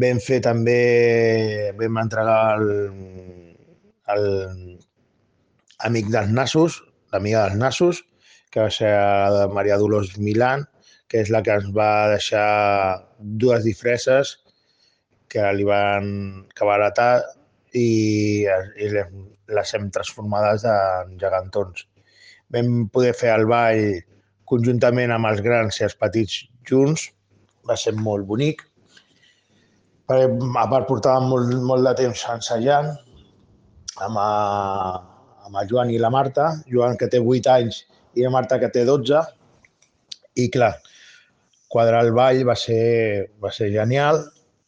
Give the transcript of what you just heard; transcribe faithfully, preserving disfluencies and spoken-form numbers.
Vam fer també, vam entregar el, el amic dels nassos, l'amiga dels nassos, que va ser la Maria Dolors Milán, que és la que ens va deixar dues disfresses que li van que va heretar i, i les, les hem transformades en gegantons. Vam poder fer el ball conjuntament amb els grans i els petits junts, va ser molt bonic. A part, portàvem molt, molt de temps ensejant amb, a, amb el Joan i la Marta, Joan que té vuit anys i la Marta que té dotze, i clar, quadrar el ball va ser, va ser genial.